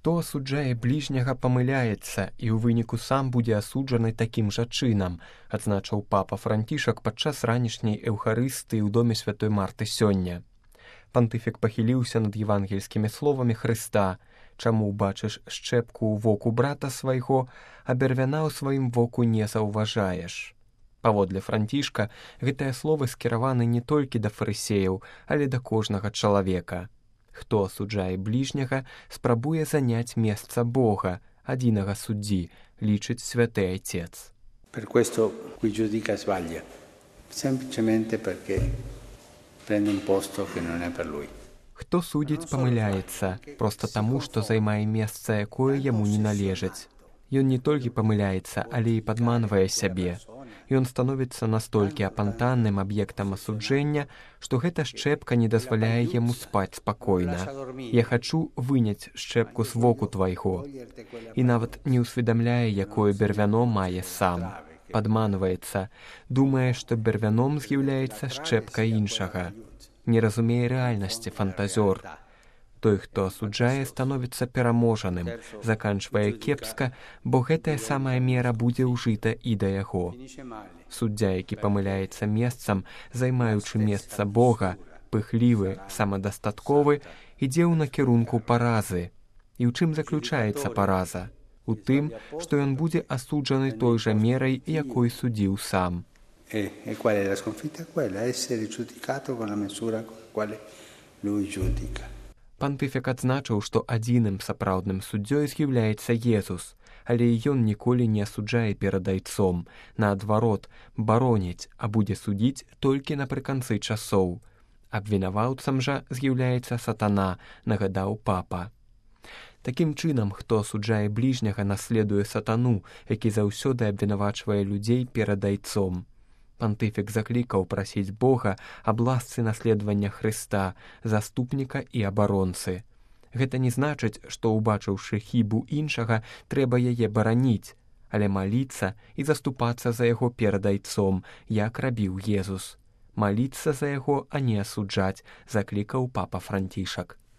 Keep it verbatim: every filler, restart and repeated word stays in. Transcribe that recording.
Хто асуджае бліжняга, памыляецца і ў выніку сам будзе асуджаны такім жа чынам, адзначыў папа Францішак падчас ранішняй эўхарыстыі ў доме святой Марты сёння. Пантыфік пахіліўся над евангельскімі словамі Хрыста: «Чаму бачыш шчэпку ў воку брата свайго, а бярвяна ў сваім воку не заўважаеш». Паводле Францішка, гэтыя словы скіраваны не толькі да фарысеяў, але да кожнага чалавека. Хто асуджае бліжняга, спрабуе заняць месца Бога, адзінага суддзі, лічыць святы Айцец. Per questo qui giudica sbaglia, semplicemente perché prende un posto che non è per lui. Хто судзіць, памыляецца, проста таму, што займае месца, якое яму не належыць. Ён не толькі памыляецца, але і падманвае сябе. Ён становіцца настолькі апантанным аб'ектам асуджэння, што гэта шчэпка не дазваляе яму спаць спакойна. Я хачу выняць шчэпку з воку твайго. І нават не ўсведамляе, якое бярвяно мае сам. Падманваецца, думае, што бярвяном з'яўляецца шчэпка іншага. Не разумее рэальнасці фантазёр. Той, хто асуджае, становіцца пераможаным, заканчвае кепска, бо гэтая самая мера будзе ўжыта і да яго. Суддзя, які памыляецца месцам, займаючы месца Бога, пыхлівы, самадастатковы, ідзе ў накірунку паразы. І ў чым заключаецца параза? У тым, што ён будзе асуджаны той жа мерай, якой судзіў сам. E, e qual è la sconfitta? Quella, essere giudicato con la misura con la quale lui giudica. Пантыфік адзначыў, што адзіным сапраўдным суддзёй з'яўляецца Езус, але ён ніколі не асуджае перад Айцом, наадварот, бароніць, а будзе судзіць толькі напрыканцы часоў. Абвінаваўцам жа з'яўляецца сатана, нагадаў папа. Такім чынам, хто асуджае бліжняга, наследуе сатану, які заўсёды абвінавачвае людзей перад Айцом. Пантыфік заклікаў прасіць Бога аб ласцы наследавання Хрыста, заступніка і абаронцы. Гэта не значыць, што, убачыўшы хібу іншага, трэба яе бараніць, але маліцца і заступацца за яго перад Айцом, як рабіў Езус. Маліцца за яго, а не асуджаць, заклікаў папа Францішак.